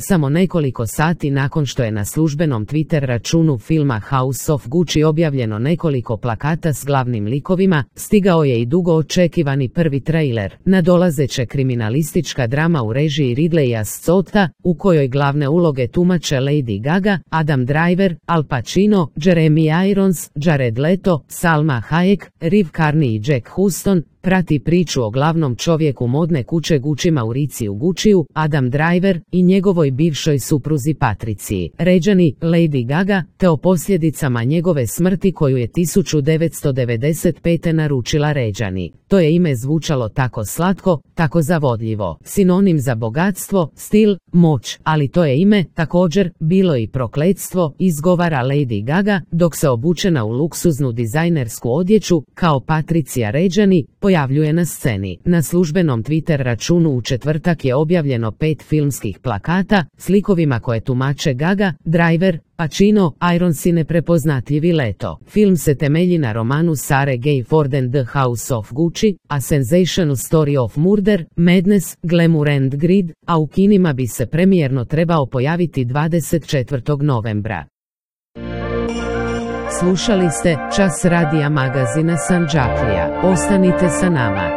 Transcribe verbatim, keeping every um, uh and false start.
Samo nekoliko sati nakon što je na službenom Twitter računu filma House of Gucci objavljeno nekoliko plakata s glavnim likovima, stigao je i dugo očekivani prvi trailer, nadolazeća kriminalistička drama u režiji Ridleya Scotta, u kojoj glavne uloge tumače Lady Gaga, Adam Driver, Al Pacino, Jeremy Irons, Jared Leto, Salma Hayek, Riv Carney i Jack Huston. Prati priču o glavnom čovjeku modne kuće Gucci Mauriciju Gucciju, Adam Driver, i njegovoj bivšoj supruzi Patriciji Reggiani, Lady Gaga, te o posljedicama njegove smrti koju je tisuću devetsto devedeset pete naručila Reggiani. To je ime zvučalo tako slatko, tako zavodljivo, sinonim za bogatstvo, stil, moć, ali to je ime, također, bilo i prokletstvo, izgovara Lady Gaga, dok se obučena u luksuznu dizajnersku odjeću, kao Patricia Reggiani, pojavljuje na sceni. Na službenom Twitter računu u četvrtak je objavljeno pet filmskih plakata, s likovima koje tumače Gaga, Driver, Pacino, Irons i neprepoznatljivi Leto. Film se temelji na romanu Sarah Gay Ford The House of Gucci, A Sensational Story of Murder, Madness, Glamour and Greed, a u kinima bi se premijerno trebao pojaviti dvadeset četvrtog novembra. Slušali ste Čas radija magazina Sandžaklija. Ostanite sa nama.